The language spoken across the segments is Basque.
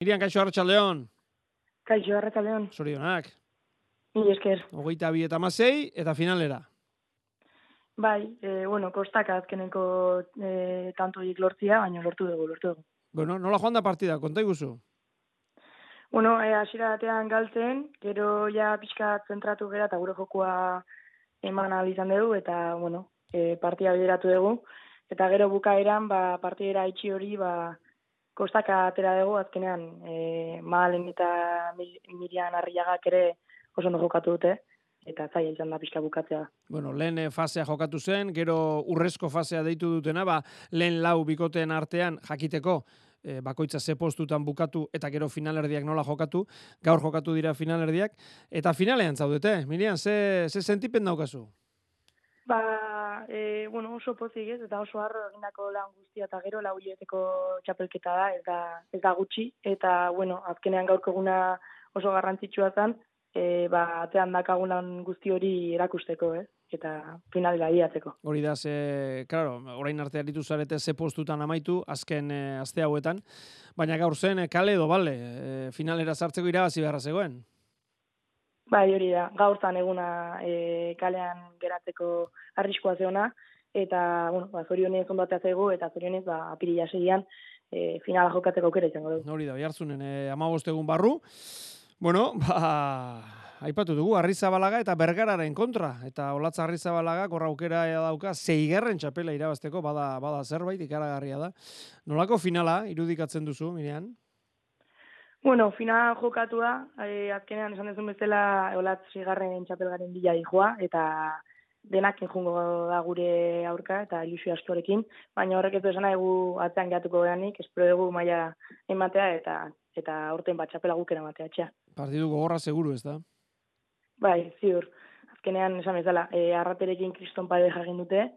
Mirian, kaixo, arratsaldeon. Kaixo, arratsaldeon. Zorionak. Mila esker. 22-16 eta finalera. Bai, kostak azkeneko tantoik lortzia, baina lortu dugu. Bueno, nola joan da partida, konta iguzu? Hasiera batean galtzen, gero ja pixka zentratu gera eta gure jokua eman ahal izan dugu, eta, partida bideratu dugu. Eta gero bukaeran, partidera itxi hori, kostaka atera dugu, azkenean, Mahalen eta Mirian Arriagak ere oso ondo jokatu dute, eta zaila izan da pixka bukatzea. Bueno, lehen fasea jokatu zen, gero urrezko fasea deitu dutena, lehen lau bikoteen artean jakiteko, bakoitza ze postutan bukatu eta gero finalerdiak nola jokatu, gaur jokatu dira finalerdiak, eta finalean zaudete. Mirian, ze sentipen daukazu? Oso pozik ez, eta oso harro egindako lan guztia, eta gero lau hilabeteko txapelketa da, ez da gutxi, eta, azkenean gaurko eguna oso garrantzitsua zen, atean dakagunan guzti hori erakusteko, eta finalera iatzeko. Hori da, orain arte aritu zarete ze postutan amaitu, azken aste hauetan, baina gaur zen kale edo bale, finalera sartzeko irabazi beharra zegoen. Bai, hori da, gaur zan eguna kalean geratzeko arriskoa zeona, eta, zorionez ondatea zego, eta zorionez, apirila segian finala jokatzeko aukera izango dugu. Hori da, Oiartzunen 15 egun barru. Bueno, aipatu dugu, Arrizabalaga eta Bergararen kontra. Eta Olatz Arrizabalaga korra aukera dauka 6. txapela irabazteko, bada zerbait ikaragarria da. Nolako finala irudikatzen duzu, Mirian? Final jokatu da, azkenean esan dezun bezala Olatz 6. txapelgaren bila dijoa, eta denak enjungo da gure aurka eta ilusio askorekin, baina horrek ez du esan egu atzean gehatuko behanik, espero dugu maila ematea eta aurten txapela gukera ematea etxea. Partidu gogorra seguru, ez da? Bai, ziur. Azkenean esan bezala, Arraterekin kriston pareja egin dute,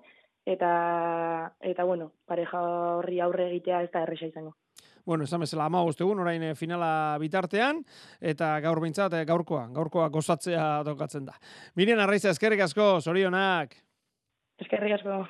eta pareja horri aurre egitea ez da erresa izango. Bueno, esan bezala 15 egun, orain finala bitartean, eta gaur behintzat gaurkoa gozatzea tokatzen da. Mirian Arraiza, eskerrik asko, zorionak. Eskerrik asko.